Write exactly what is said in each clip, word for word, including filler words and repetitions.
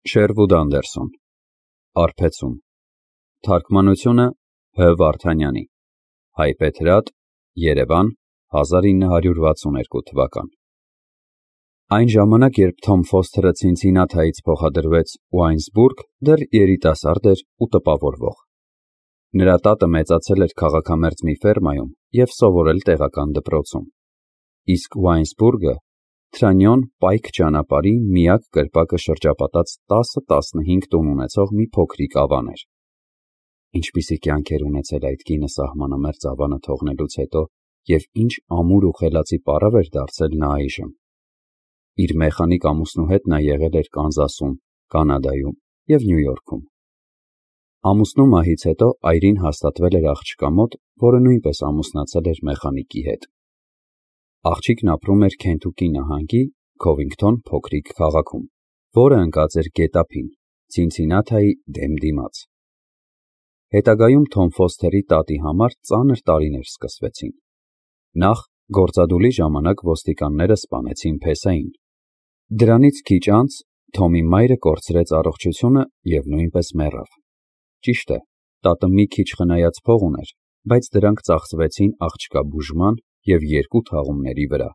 Շերվուդ Անդերսոն Արփեցուն Թարգմանությունը Հ. Վարդանյանի Հայբեթրատ Երևան հազար ինը հարյուր վաթսունութ թվական Այն ժամանակ, երբ Թոմ Ֆոսթերը Ցինցինաթայից փոխադրվեց Ուայնսբուրգ, դեռ երիտասարդ էր ու տպավորվող։ Նրա տատը մեծացել էր քաղաքամերձ մի ֆերմայում և սովորել տեղական դպրոցում։ Իսկ Ուայնսբուրգը Թրանյոն պայք ճանապարհի միակ կրպակը շրջապատած տասը-տասնհինգ տուն ունեցող մի փոքրիկ ավան էր։ Ինչպիսի կյանք էր ունեցել այդ կինը սահմանամերձ ավանը թողնելուց հետո և ինչ ամուր ու խելացի պառավ էր դարձել նա այժմ։ Իր մեխանիկ ամուսնու հետ նա եղել էր Կանզասում, Կանադայում և Նյու Յորքում։ Ամուսնու մահից հետո այրին հաստատվել էր աղջկա մոտ, որը նույնպես ամուսնացել էր մեխանիկի հետ։ Աղջիկն ապրում էր Քենթուկի նահանգի Քովինգթոն փոքրիկ քաղաքում, որը ընկած էր գետափին, Ցինցինաթայի դեմ դիմաց։ Հետագայում Թոմ Ֆոսթերի տատի համար ծանր տարիներ սկսվեցին։ Նախ գործադուլի ժամանակ ոստիկանները սպանեցին Փեսային։ Դրանից քիչ անց Թոմի մայրը կորցրեց առողջությունը և նույնպես մեռավ։ Ճիշտ է, տատը մի քիչ խնայած փող ուներ, բայց դրանք ծախսվեցին աղջկա բուժման և երկու թաղումների վրա։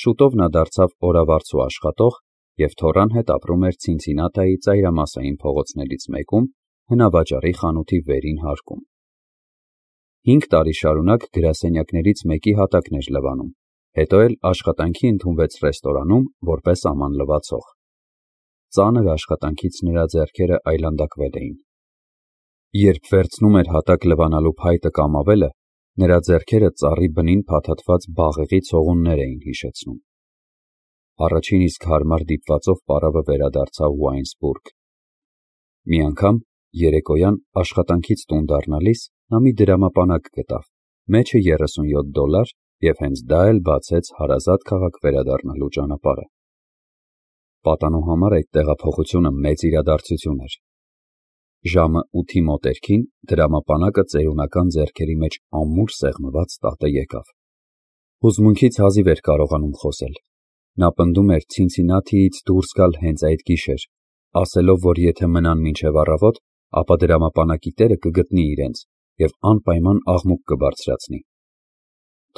Շուտով նա դարձավ օրավարձու աշխատող և թոռան հետ ապրում էր Ցինցինաթայի ծայրամասային փողոցներից մեկում, հնավաճառի խանութի վերին հարկում։ Հինգ տարի շարունակ գրասենյակներից մեկի հատակն էր լվանում, հետո էլ աշխատանքի ընդունվեց ռեստորանում որպես աման լվացող։ Ծանր աշխատանքից նրա ձեռքերը այլանդակվել էին։ Երբ վերցնում էր հատակ լվանալու փայտը կամ ավելը, նրա ձեռքերը ծառի բնին փաթաթված բաղեղի ցողուններ էին հիշեցնում։ Առաջին իսկ հարմար դիպվածով պառավը վերադարձավ Ուայնսբուրգ։ Մի անգամ երեկոյան աշխատանքից տուն դառնալիս նա մի դրամապանակ գտավ, մեջը երեսունյոթ դոլար, և հենց դա էլ բացեց հարազատ քաղաք վերադառնալու ճանապարհը։ Պատանու համար այդ տեղափոխությունը մեծ իրադարձություն էր։ Ժամը ութի մոտերքին դրամապանակը ծերունական ձեռքերի մեջ ամուր սեղմված տատը եկավ։ Հուզմունքից հազիվ էր կարողանում խոսել։ Նա պնդում էր Ցինցինաթիից դուրս գալ հենց այդ գիշեր, ասելով, որ եթե մնան մինչև առավոտ, ապա դրամապանակի տերը կգտնի իրենց և անպայման աղմուկ կբարձրացնի։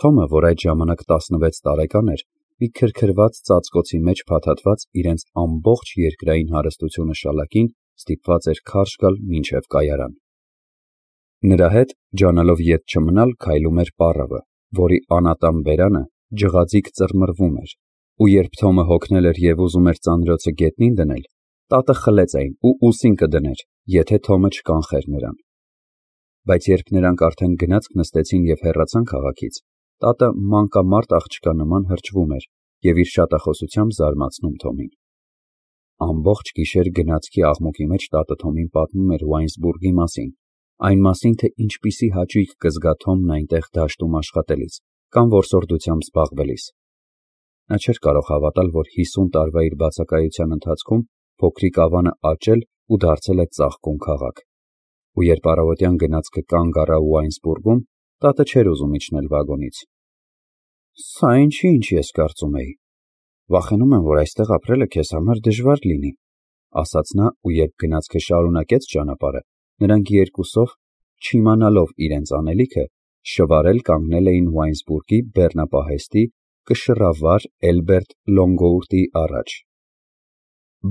Թոմը, որ այդ ժամանակ տասնվեց տարեկան էր, մի քրքրված ծածկոցի մեջ փաթաթված իրենց ամբողջ երկրային հարստությունը շալակին, ստիպված էր քարշ գալ մինչև կայարան։ Նրա հետ, ջանալով ետ չմնալ, քայլում էր պառավը, որի անատամ բերանը ջղաձիգ ծռմռվում էր, ու երբ Թոմը հոգնել էր և ուզում էր ծանրոցը գետնին դնել, տատը խլեց այն ու ուսին կդներ, եթե Թոմը չկանխեր նրան։ Բայց երբ նրանք արդեն գնացք նստեցին և հեռացան քաղաքից, տատը մանկամարտ աղջկա նման հրճվում էր և իր շատախոսությամբ զարմացնում Թոմին։ Ամբողջ գիշեր գնացքի աղմուկի մեջ տատը Թոմին պատմում էր Ուայնսբուրգի մասին, այն մասին, թե ինչպիսի հաճույք կզգա Թոմն այնտեղ դաշտում աշխատելիս կամ որսորդությամբ զբաղվելիս։ Նա չէր կարող հավատալ, որ հիսուն տարվա իր բացակայության ընթացքում փոքրիկ ավանը աճել ու դարձել է ծաղկուն քաղաք։ Ու երբ առավոտյան գնացքը կանգ առավ Ուայնսբուրգում, տատը չէր ուզում իջնել վագոնից։ «Սա ինչի ինչ ես կարծում էի։ Վախենում եմ, որ այստեղ ապրելը քեզ համար դժվար լինի», ասաց նա, ու երբ գնացքը շարունակեց ճանապարհը, նրանք երկուսով, չիմանալով իրենց անելիքը, շվարել կանգնել էին Ուայնսբուրգի բեռնապահեստի կշռավար Էլբերտ Լոնգոուրտի առաջ։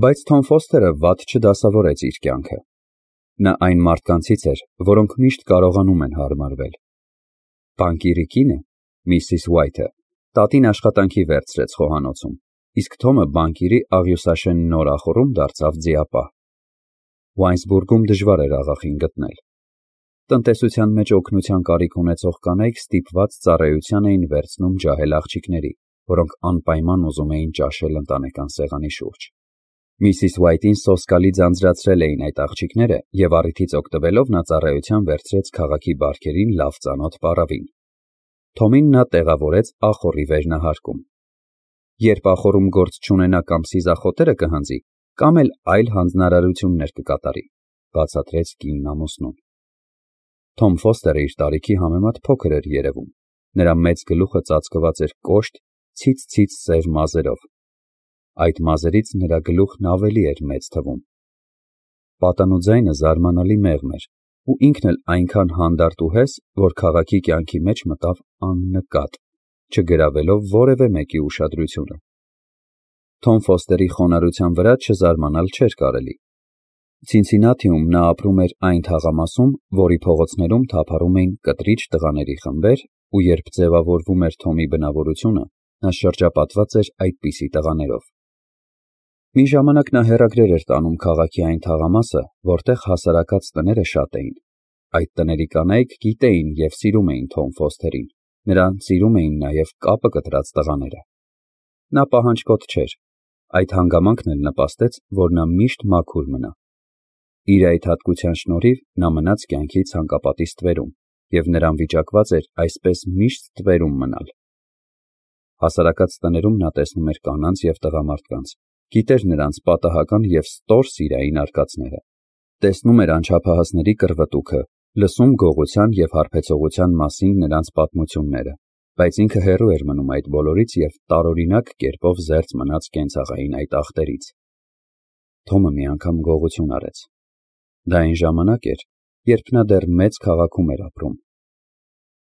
Բայց Թոմ Ֆոսթերը վատ չդասավորեց իր կյանքը։ Նա այն մարդկանցից էր, որոնք միշտ կարողանում են հարմարվել։ Բանկիրի կինը, Միսիս Ուայթը, տատին աշխատանքի վերցրեց խոհանոցում, իսկ Թոմը բանկիրի աղյուսաշեն նորախորում դարձավ ձիապահ։ Ուայնսբուրգում դժվար էր աղախին գտնել։ Տնտեսության մեջ օգնության կարիք ունեցող կանայք ստիպված ծառայության էին վերցնում ջահել աղջիկների, որոնք անպայման ուզում էին ճաշել ընտանեկան սեղանի շուրջ։ Միսիս Ուայթին սոսկալի ձանձրացրել էին այդ աղջիկները, և առիթից օգտվելով նա ծառայության վերցրեց քաղաքի բարքերին լավ ծանոթ պառավին։ Թոմին նա տեղավորեց ախոռի վերնահարկում։ Երբ ախոռում գործ չունենա կամ սիզախոտերը կհանձի, կամ էլ այլ հանձնարարություններ կկատարի, բացատրեց կինն ամուսնուն։ Թոմ Ֆոսթերը իր տարիքի համեմատ փոքր էր երևում։ Նրա մեծ գլուխը ծածկված էր կոշտ, ցից-ցից սև մազերով։ այդ մազերից նրա գլուխն ավելի էր մեծ թվում։ Պատանու ձայնը զարմանալի մեղմ էր, ու ինքն էլ այնքան հանդարտ ու հես, որ քաղաքի կյանքի մեջ մտավ աննկատ, չգրավելով որևէ մեկի ուշադրությունը։ Թոմ Ֆոստերի խոնարհության վրա չզարմանալ չէր կարելի։ Ցինցինաթիում նա ապրում էր այն թաղամասում, որի փողոցներում թափառում էին կտրիչ տղաների խմբեր, ու երբ ձևավորվում էր Թոմի բնավորությունը, նա շրջապատված էր այդպիսի տղաներով։ Մի ժամանակ նա հեռագրեր էր տանում քաղաքի այն թաղամասը, որտեղ հասարակած տները շատ էին։ Այդ տների կանայք գիտեին և սիրում էին Թոմ Ֆոստերին, նրան սիրում էին նաև կապը կտրած տղաները։ Նա պահանջկոտ չէր, այդ հանգամանքն էլ նպաստեց, որ նա միշտ մաքուր մնա։ Իր այդ հատկության շնորհիվ նա մնաց կյանքի ցանկապատի ստվերում, և նրան վիճակված էր այսպես միշտ ստվերում մնալ։ Հասարակած տներում նա տեսնում էր կանանց և տղամարդկանց, գիտեր նրանց պատահական և ստոր սիրային արկածները, տեսնում էր անչափահասների կռվտուքը, լսում գողության և հարբեցողության մասին նրանց պատմությունները, բայց ինքը հեռու էր մնում այդ բոլորից և տարօրինակ կերպով զերծ մնաց կենցաղային այդ ախտերից։ Թոմը մի անգամ գողություն արեց։ Դա այն ժամանակ էր, երբ նա դեռ մեծ քաղաքում էր ապրում։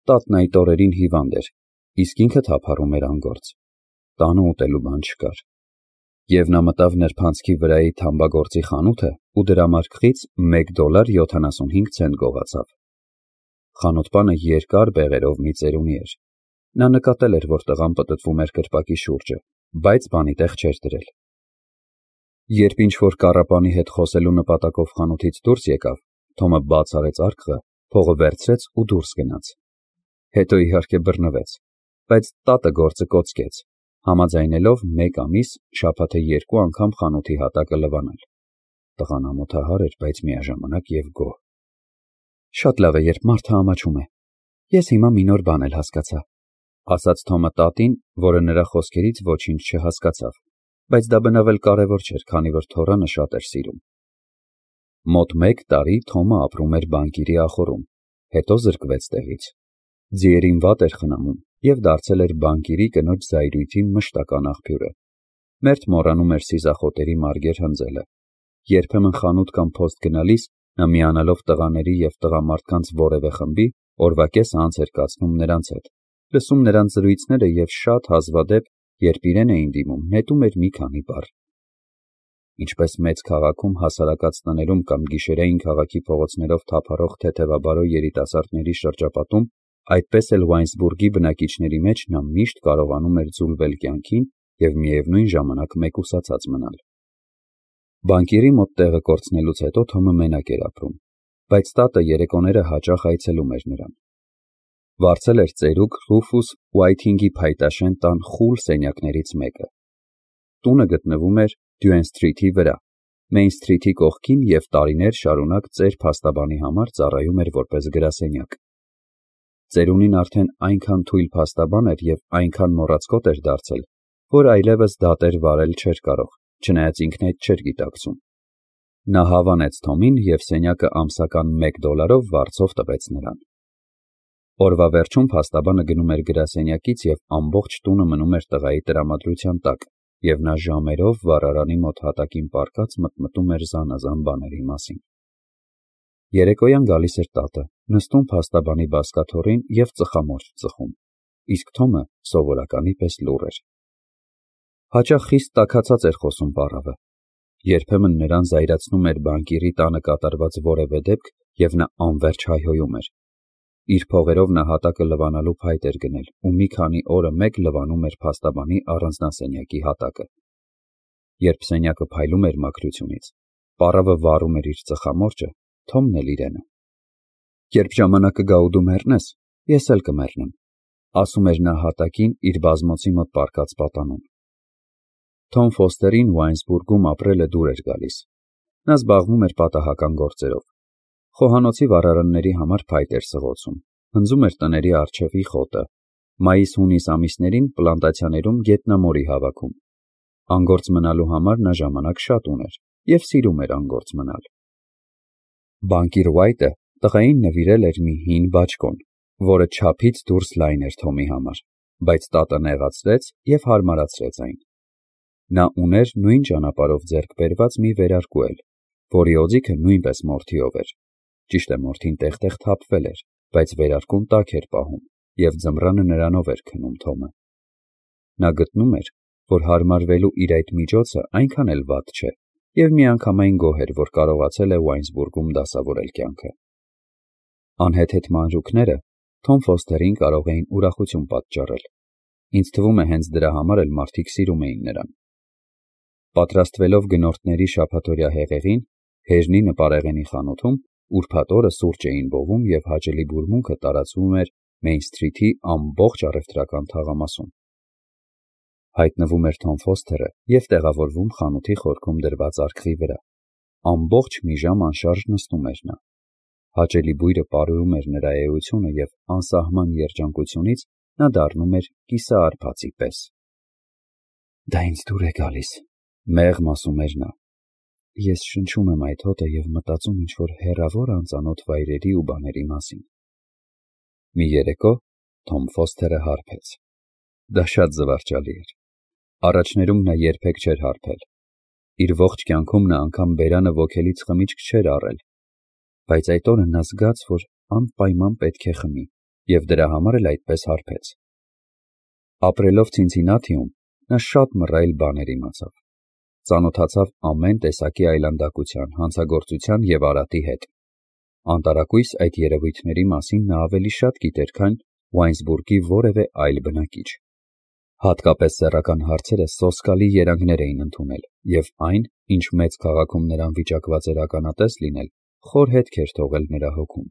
Տատն այդ օրերին հիվանդ էր, իսկ ինքը թափառում էր անգործ։ Տանը ուտելու բան չկար։ Եվ նա մտավ նրբանցքի վրայի թամբագործի խանութը ու դրամարկղից մեկ դոլար յոթանասունհինգ ցենտ գողացավ։ Խանութպանը երկար բեղերով մի ծերունի էր։ Նա նկատել էր, որ տղան պտտվում էր կրպակի շուրջը, բայց բանի տեղ չէր դրել։ Երբ ինչ-որ կառապանի հետ խոսելու նպատակով խանութից դուրս եկավ, Թոմը բաց արեց արկղը, փողը վերցրեց ու դուրս գնաց։ Հետո իհարկե բռնվեց, բայց տատը գործը կոծկեց, համաձայնելով մեկ ամիս շաբաթը երկու անգամ խանութի հատակը լվանալ։ Տղան ամոթահար էր, բայց միաժամանակ և գոհ։ Շատ լավ է, երբ մարդը ամաչում է։ Ես հիմա մի նոր բան էլ հասկացա, ասաց Թոմը տատին, որը նրա խոսքերից ոչինչ չհասկացավ, բայց դա բնավ էլ կարևոր չէր, քանի որ թոռանը շատ էր սիրում։ Մոտ մեկ տարի Թոմը ապրում էր բանկիրի ախոռում, հետո զրկվեց տեղից։ Ձիերին վատ էր խնամում և դարձել էր բանկիրի կնոջ զայրույթի մշտական աղբյուրը։ Մերթ մոռանում էր սիզախոտերի մարգեր հնձելը։ Երբեմն խանութ կամ փոստ գնալիս նա միանալով տղաների և տղամարդկանց որևէ խմբի, օրվա կեսը անց էր կացնում նրանց հետ, լսում նրանց զրույցները և շատ հազվադեպ, երբ իրեն էին դիմում, նետում էր մի քանի բառ։ Ինչպես մեծ քաղաքում հասարակած տներում կամ գիշերային քաղաքի փողոցներով թափառող թեթևաբարո երիտասարդների շրջապատում, այդպես էլ Ուայնսբուրգի բնակիչների մեջ նա միշտ կարողանում էր ձուլվել կյանքին և միևնույն ժամանակ մեկուսացած մնալ։ Բանկիրի մոտ տեղը կորցնելուց հետո Թոմը մենակ էր ապրում, բայց տատը երեկոները հաճախ այցելում էր նրան։ Վարձել էր ծերուկ Ռուֆուս Ուայթինգի փայտաշեն տան խուլ սենյակներից մեկը։ Տունը գտնվում էր Դյուեն Սթրիթի վրա, Մեյն Սթրիթի կողքին և տարիներ շարունակ ծեր փաստաբանի համար ծառայում էր որպես գրասենյակ։ Ծերունին արդեն այնքան թույլ փաստաբան էր և այնքան մոռացկոտ էր դարձել, որ այլևս դատեր վարել չէր կարող, չնայած ինքն այդ չէր գիտակցում։ Նա հավանեց Թոմին և սենյակը ամսական մեկ դոլարով վարձով տվեց նրան։ Օրվա վերջում փաստաբանը գնում էր գրասենյակից և ամբողջ տունը մնում էր տղայի տրամադրության տակ, և նա ժամերով վառարանի մոտ հատակին պառկած մտմտում էր զանազան բաների մասին։ Երեկոյան գալիս էր տատը, նստում փաստաբանի բազկաթոռին և ծխամորճ ծխում, իսկ Թոմը սովորականի պես լուռ էր։ Հաճախ խիստ տաքացած էր խոսում պառավը։ Երբեմն նրան զայրացնում էր բանկիրի տանը կատարված որևէ դեպք, և նա անվերջ հայհոյում էր։ Իր փողերով նա հատակը լվանալու փայտ էր գնել ու մի քանի օրը մեկ լվանում էր փաստաբանի առանձնասենյակի հատակը։ Երբ սենյակը փայլում էր մաքրությունից, պառավը վառում էր իր ծխամորճը, Թոմն էլ իրենը։ Երբ ժամանակը գա ու դու մեռնես, ես էլ կմեռնեմ, ասում էր նա հատակին իր բազմոցի մոտ պառկած պատանուն։ Թոմ Ֆոստերին Ուայնսբուրգում ապրելը դուր էր գալիս։ Նա զբաղվում էր պատահական գործերով։ Խոհանոցի վառարանների համար փայտ էր սղոցում, հնձում էր տների առջևի խոտը, մայիս-հունիս ամիսներին պլանտացիաներում գետնամորի հավաքում։ Անգործ մնալու համար նա ժամանակ շատ ուներ և սիրում էր անգործ մնալ։ Բանկիր Ուայթը տղային նվիրել էր մի հին բաճկոն, որը չափից դուրս լայն էր Թոմի համար, բայց տատը նեղացրեց և հարմարացրեց այն։ Նա ուներ նույն ճանապարհով ձեռք բերված մի վերարկու էլ, որի օձիքը նույնպես մորթիով էր։ Ճիշտ է, մորթին տեղ-տեղ թափվել էր, բայց վերարկուն տաք էր պահում, և ձմռանը նրանով էր քնում Թոմը։ Նա գտնում էր, որ հարմարվելու իր այդ միջոցը այնքան էլ վատ չէ, և միանգամայն գոհ էր, որ կարողացել է Ուայնզբուրգում դասավորել կյանքը։ Անհեթեթ մանրուքները Թոմ Ֆոստերին կարող էին ուրախություն պատճառել։ Ինձ թվում է, հենց դրա համար էլ մարդիկ սիրում էին նրան։ Պատրաստվելով գնորդների շաբաթօրյա հեղեղին, Հեժնի նպարեղենի խանութում ուրբաթ օրը սուրճ էին բովում և հաճելի բուրմունքը տարածվում էր Մեյն Սթրիթի ամբողջ առևտրական թաղամասում։ Հայտնվում էր Թոմ Ֆոստերը և տեղավորվում խանութի խորքում դրված արկղի վրա։ Ամբողջ մի ժամ անշարժ նստում էր նա։ Հաճելի բույրը պարուրում էր նրա էությունը և անսահման երջանկությունից նա դառնում էր կիսաարբածի պես։ «Դա ինձ դուր է գալիս», մեղմ ասում էր նա։ «Ես շնչում եմ այդ հոտը և մտածում ինչ-որ հեռավոր անծանոթ վայրերի ու բաների մասին»։ Մի երեկո Թոմ Ֆոստերը հարբեց։ Դա շատ զվարճալի էր։ Առաջներում նա երբեք չէր հարբել։ Իր ողջ կյանքում նա անգամ բերանը ոգելից խմիչք չէր առել, բայց այդ օրը նա զգաց, որ անպայման պետք է խմի, և դրա համար էլ այդպես հարբեց։ Ապրելով Ցինցիննաթիում, նա շատ մռայլ բաներ իմացավ։ Ծանոթացավ ամեն տեսակի այլանդակության, հանցագործության և արատի հետ։ Անտարակույս այդ երևույթների մասին նա ավելի շատ գիտեր, քան Ուայնզբուրգի որևէ այլ բնակիչ։ Հատկապես սեռական հարցերը սոսկալի երանգներ էին ընդունել, և այն, ինչ մեծ քաղաքում նրան վիճակված էր ականատես լինել, խոր հետք էր թողել նրա հոգում։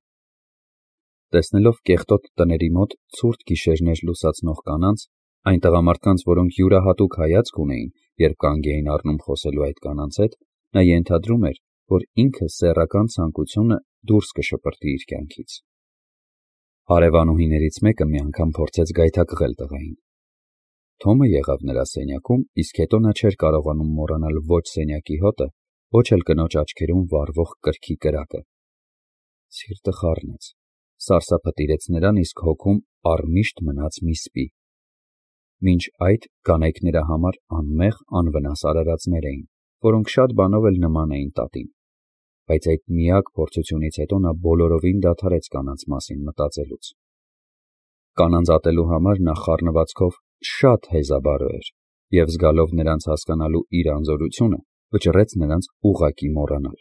Տեսնելով կեղտոտ տների մոտ ցուրտ գիշերներ լուսացնող կանանց, այն տղամարդկանց, որոնք յուրահատուկ հայացք ունեին, երբ կանգ էին առնում խոսելու այդ կանանց հետ, նա ենթադրում էր, որ ինքը սեռական ցանկությունը դուրս կշպրտի իր կյանքից։ Հարևանուհիներից մեկը մի անգամ փորձեց գայթակղել տղային։ Թոմը եղավ նրա սենյակում, իսկ հետո նա չէր կարողանում մոռանալ ոչ սենյակի հոտը, ոչ էլ կնոջ աչքերում վառվող կրքի կրակը։ Սիրտը խառնեց, սարսափը տիրեց նրան, իսկ հոգում առմիշտ մնաց մի սպի։ Մինչ այդ կանայք նրա համար անմեղ, անվնաս արարածներ էին, որոնք շատ բանով էլ նման էին տատին, բայց այդ միակ փորձությունից հետո նա բոլորովին դադարեց կանանց մասին մտածելուց։ Կանանց ատելու համար նա խառնվածքով շատ հեզաբարո էր, և զգալով նրանց հասկանալու իր անզորությունը, վճռեց նրանց ուղղակի մոռանալ։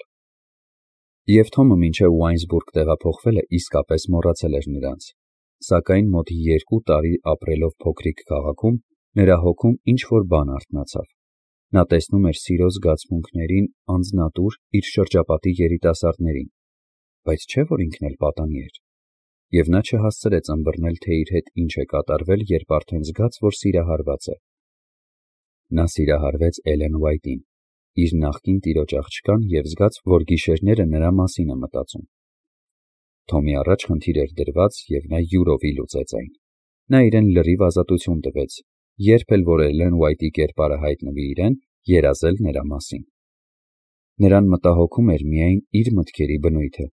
Եվ Թոմը մինչև Ուայնզբուրգ տեղափոխվելը իսկապես մոռացել էր նրանց, սակայն մոտ երկու տարի ապրելով փոքրիկ քաղաքում, նրա հոգում ինչ-որ բան արթնացավ։ Նա տեսնում էր սիրո զգացմունքներին անձնատուր իր շրջապատի երիտասարդներին, բայց չէ՞ որ ինքն էլ պատանի էր։ Եվ նա չհասցրեց ըմբռնել, թե իր հետ ինչ է կատարվել, երբ արդեն զգաց, որ սիրահարված է։ Նա սիրահարվեց Էլեն Ուայթին, իր նախկին տիրոջ աղջկան, և զգաց, որ գիշերները նրա մասին է մտածում։ Թոմի առաջ խնդիր էր դրված, և նա յուրովի լուծեց այն։ Նա իրեն լրիվ ազատություն տվեց, երբ էլ որ Էլեն Ուայթի կերպարը հայտնվի իրեն, երազել նրա մասին։ Նրան մտահոգում էր միայն իր մտքերի բնույթը։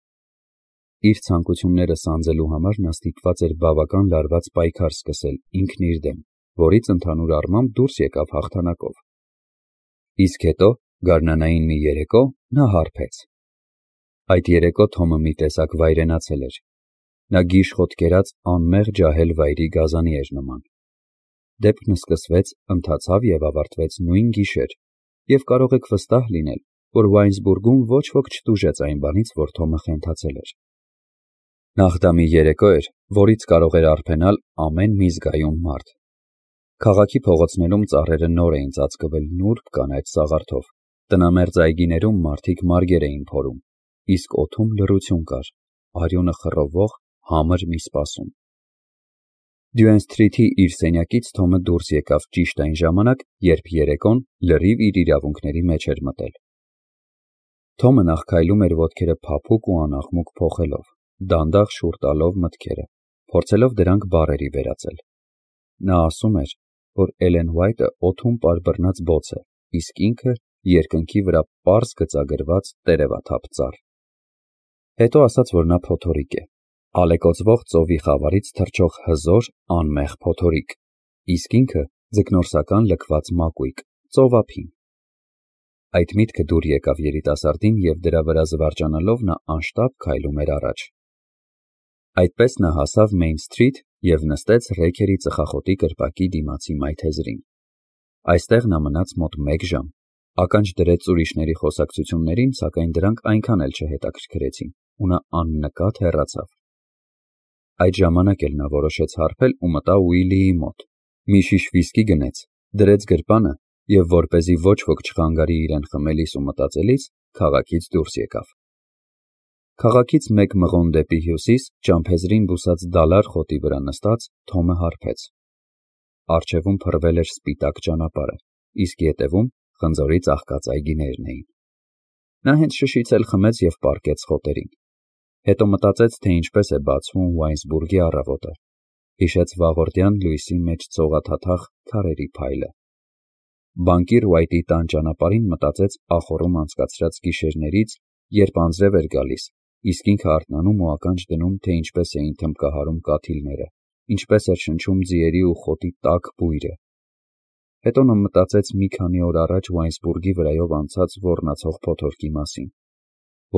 Իր ցանկությունները սանձելու համար նա ստիպված էր բավական լարված պայքար սկսել ինքն իր դեմ, որից ընդհանուր առմամբ դուրս եկավ հաղթանակով։ Իսկ հետո, գարնանային մի երեկո, նա հարբեց։ Այդ երեկո Թոմը մի տեսակ վայրենացել էր։ Նա գիժխոտ կերած անմեղ ջահել վայրի գազանի էր նման։ Դեպքն սկսվեց, ընթացավ և ավարտվեց նույն գիշեր, և կարող եք վստահ լինել, որ Ուայնզբուրգում ոչ ոք չտուժեց այն բանից, որ Թոմը խենթացել էր։ Նախ դա մի երեկո էր, որից կարող էր արբենալ ամեն մի զգայուն մարդ։ Քաղաքի փողոցներում ծառերը նոր էին ծածկվել նուրբ կանաչ սաղարթով, տնամերձ այգիներում մարդիկ մարգեր էին փորում, իսկ օդում լռություն կար, արյունը խռովող համր մի սպասում։ Դյուեն Սթրիթի իր սենյակից Թոմը դուրս եկավ ճիշտ այն ժամանակ, երբ երեկոն լրիվ իր իրավունքների մեջ էր մտել։ Թոմը նախ քայլում էր ոտքերը փափուկ ու անաղմուկ փոխելով, դանդաղ շուռ տալով մտքերը, փորձելով դրանք բառերի վերածել։ Նա ասում էր, որ Էլեն Ուայթը օդում պարբռնած բոց է, իսկ ինքը երկնքի վրա պարզ գծագրված տերևաթափ ծառ։ Հետո ասաց, որ նա փոթորիկ է, ալեկոծվող ծովի խավարից թռչող հզոր, անմեղ փոթորիկ, իսկ ինքը ձկնորսական լքված մակույկ, ծովափին։ Այդ միտքը դուր եկավ երիտասարդին և դրա վրա զվարճանալով նա անշտապ քայլում էր առաջ։ Այդպես նա հասավ Մեյն Սթրիթ և նստեց Ռեքերի ծխախոտի կրպակի դիմացի մայթեզրին։ Այստեղ նա մնաց մոտ մեկ ժամ, ականջ դրեց ուրիշների խոսակցություններին, սակայն դրանք այնքան էլ չհետաքրքրեցին, ու նա աննկատ հեռացավ։ Այդ ժամանակ էլ նա որոշեց հարբել ու մտավ Ուիլիի մոտ, մի շիշ վիսկի գնեց, դրեց գրպանը և, որպեսզի ոչ ոք չխանգարի իրեն խմելիս ու մտածելիս, քաղաքից դուրս եկավ։ Քաղաքից մեկ մղոն դեպի հյուսիս, ճամփեզրին բուսած դալար խոտի վրա նստած, Թոմը հարբեց։ Առջևում փռվել էր սպիտակ ճանապարհը, իսկ ետևում խնձորի ծաղկած այգիներն էին։ Նա հենց շշից էլ խմեց և պառկեց խոտերին։ Հետո մտածեց, թե ինչպես է բացվում Ուայնսբուրգի առավոտը, հիշեց վաղորդյան լույսի մեջ ծողաթաթախ քարերի փայլը։ Բանկիր Ուայթի տան ճանապարհին մտածեց ախոռում անցկացրած գիշերներից, երբ անձրև էր գալիս, իսկ ինքը արթնանում ու ականջ դնում, թե ինչպես էին թմբկահարում կաթիլները, ինչպես էր շնչում ձիերի ու խոտի տաք բույրը։ Հետո նա մտածեց մի քանի օր առաջ Ուայնսբուրգի վրայով անցած ոռնացող փոթորկի մասին։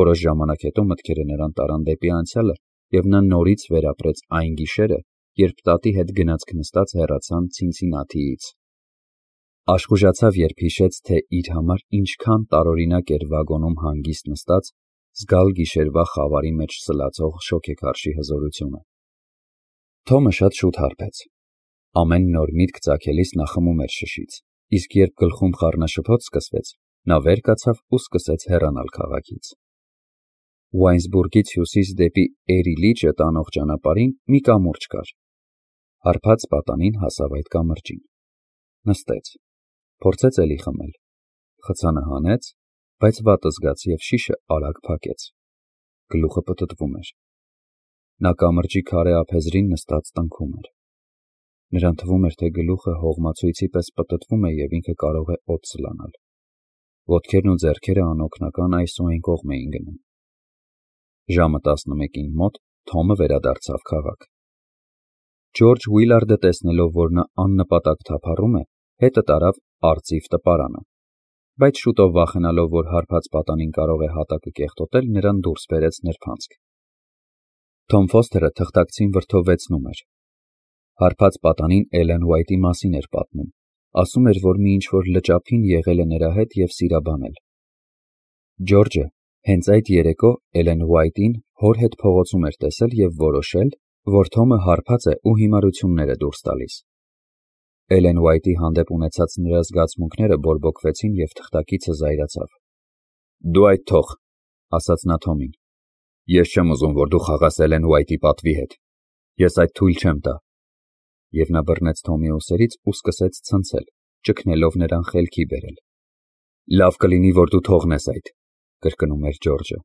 Որոշ ժամանակ հետո մտքերը նրան տարան դեպի անցյալը, և նա նորից վերապրեց այն գիշերը, երբ տատի հետ գնացք նստած հեռացան Ցինցինաթիից։ Աշխուժացավ, երբ հիշեց, թե իր համար ինչքան տարօրինակ էր վագոնում հանգիստ նստած, զգալ գիշերվա խավարի մեջ սլացող շոգեքարշի հզորությունը։ Թոմը շատ շուտ հարբեց։ Ամեն նոր միտք ծագելիս նա խմում էր շշից, իսկ երբ գլխում խառնաշփոթ սկսվեց, նա վեր կացավ ու սկսեց հեռանալ քաղաքից։ Ուայնսբուրգից հյուսիս դեպի Էրի լիճը տանող ճանապարհին մի կամուրջ կար։ Հարբած պատանին հասավ այդ կամրջին։ Նստեց, փորձեց էլի խմել, խցանը հանեց, բայց վատ զգաց և շիշը արագ փակեց։ Գլուխը պտտվում էր։ Նա կամրջի քարե ափեզրին նստած տնքում էր։ Նրան թվում էր, թե գլուխը հողմացույցի պես պտտվում է և ինքը կարող է օդ սլանալ։ Ոտքերն ու ձեռքերը անօգնական այս ու այն կողմ էին գնում։ Ժամը տասնմեկին մոտ Թոմը վերադարձավ քաղաք։ Ջորջ Ուիլարդը, տեսնելով, որ նա աննպատակ թափառում է, հետը տարավ արծիվ տպարանը, բայց շուտով վախենալով, որ հարբած պատանին կարող է հատակը կեղտոտել, նրան դուրս բերեց նրբանցք։ Թոմ Ֆոստերը թղթակցին վրդովվեցնում էր։ Հարբած պատանին Էլեն Ուայթի մասին էր պատմում, ասում էր, որ մի ինչ-որ լճափին եղել է նրա հետ և սիրաբանել։ Ջորջը հենց այդ երեկո Էլեն Ուայթին հոր հետ փողոցում էր տեսել և որոշել, որ Թոմը հարբած է ու հիմարություններ է դուրս տալիս։ Էլեն Ուայթի հանդեպ ունեցած նրա զգացմունքները բորբոքվեցին և թղթակիցը զայրացավ։ «Դու այդ թող», ասաց նա Թոմին։ «Ես չեմ ուզում, որ դու խաղաս Էլեն Ուայթի պատվի հետ։ Ես այդ թույլ չեմ տա»։ Եվ նա բռնեց Թոմի ուսերից ու սկսեց ցնցել, ճգնելով նրան խելքի բերել։ «Լավ կլինի, որ դու թողնես այդ», կրկնում էր Ջորջը։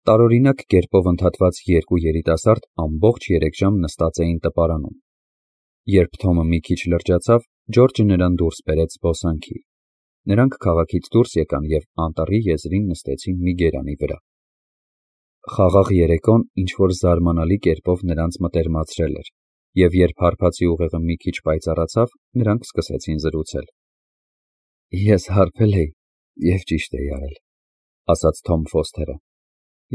Տարօրինակ կերպով ընդհատված երկու երիտասարդ ամբողջ երեք ժամ նստած էին տպարանում։ Երբ Թոմը մի քիչ լրջացավ, Ջորջը նրան դուրս բերեց զբոսանքի։ Նրանք քաղաքից դուրս եկան և անտառի եզրին նստեցին մի գերանի վրա։ Խաղաղ երեկոն ինչ-որ զարմանալի կերպով նրանց մտերմացրել էր, և երբ հարբածի ուղեղը մի քիչ պայծառացավ, նրանք սկսեցին զրուցել։ «Ես հարբել էի և ճիշտ էի արել», ասաց Թոմ Ֆոստերը։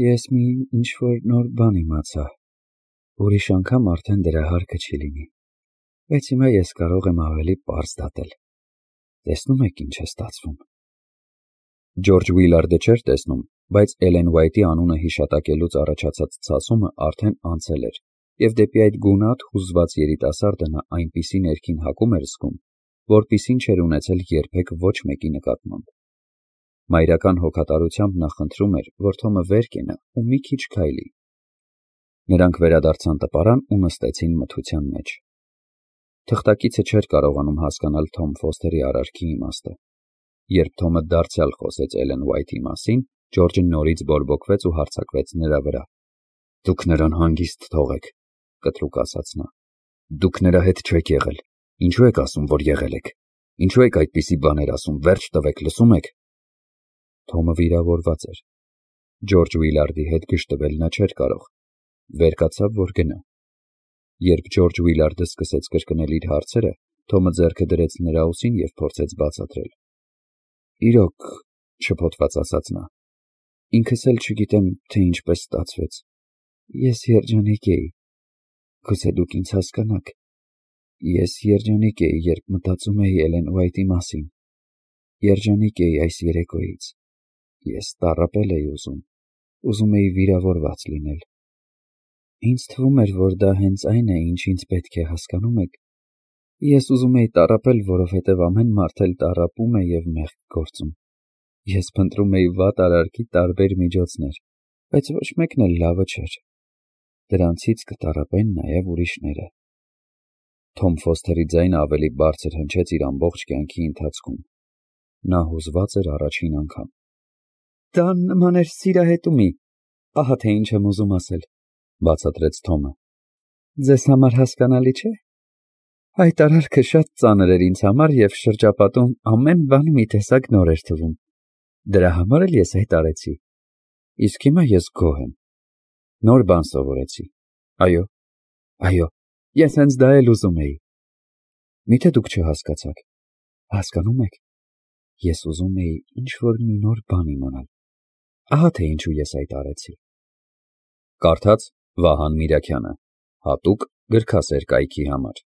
«Ես մի ինչ-որ նոր բան իմացա։ Ուրիշ անգամ արդեն դրա հարկը չի լինի, բայց հիմա ես կարող եմ ավելի պարզ դատել։ Տեսնում եք ինչ է ստացվում»։ Ջորջ Ուիլարդը չէր տեսնում, բայց Էլեն Ուայթի անունը հիշատակելուց առաջացած ցասումը արդեն անցել էր, և դեպի այդ գունատ, հուզված երիտասարդը նա այնպիսի ներքին հակում էր զգում, որպիսին չէր ունեցել երբեք ոչ մեկի նկատմամբ։ Մայրական հոգատարությամբ նա խնդրում էր, որ Թոմը վեր կենա ու մի քիչ քայլի։ Նրանք վերադարձան տպարան ու նստեցին մթության մեջ։ Թղթակիցը չէր կարողանում հասկանալ Թոմ Ֆոստերի արարքի իմաստը։ Երբ Թոմը դարձյալ խոսեց Էլեն Ուայթի մասին, Ջորջը նորից բորբոքվեց ու հարձակվեց նրա վրա։ «Դուք նրան հանգիստ թողեք», կտրուկ ասաց նա։ «Դուք նրա հետ չեք եղել։ Ինչու եք ասում, որ եղել եք։ Ինչու եք այդպիսի բաներ ասում, վերջ տվեք, լսում եք»։ Թոմը վիրավորված էր։ Ջորջ Ուիլարդի հետ գժտվել նա չէր կարող։ Վեր կացավ, որ գնա։ Երբ Ջորջ Ուիլարդը սկսեց կրկնել իր հարցերը, Թոմը ձեռքը դրեց նրա ուսին և փորձեց բացատրել։ Իրոք, շփոթված ասաց նա, ինքս էլ չգիտեմ, թե ինչպես ստացվեց։ Ես երջանիկ էի։ Գուցե դուք ինձ հասկանաք։ Ես երջանիկ էի, երբ մտածում էի Էլեն Ուայթի մասին։ Երջանիկ էի այս երեկոյից։ Ես տառապել էի ուզում, ուզում էի վիրավորված լինել։ Ինձ թվում էր, որ դա հենց այն է, ինչ ինձ պետք է, հասկանում եք։ Ես ուզում էի տառապել, որովհետև ամեն մարդ էլ տառապում է և մեղք գործում։ Ես փնտրում էի վատ արարքի տարբեր միջոցներ, բայց ոչ մեկն էլ լավը չէր։ Դրանցից կտառապեն նաև ուրիշները։ Թոմ Ֆոսթերի ձայնը ավելի բարձր հնչեց իր ամբողջ կյանքի ընթացքում։ Նա հուզված էր առաջին անգամ։ Դա նման էր սիրահետումի, ահա թե ինչ եմ ուզում ասել, բացատրեց Թոմը։ Ձեզ համար հասկանալի չէ։ Այդ արարքը շատ ծանր էր ինձ համար և շրջապատում ամեն բան մի տեսակ նոր էր թվում։ Դրա համար էլ ես հայտարարեցի։ Իսկ հիմա ես գոհ եմ։ Նոր բան սովորեցի։ Այո, այո, ես հենց դա էլ ուզում էի։ Միթե դուք չհասկացաք։ Հասկանում եք։ Ես ուզում էի ինչ-որ մի նոր բան իմանալ։ Ահա թե ինչու ես հայտարարեցի։ Կարդաց Վահան Միրաքյանը, հատուկ գրքասեր կայքի համար։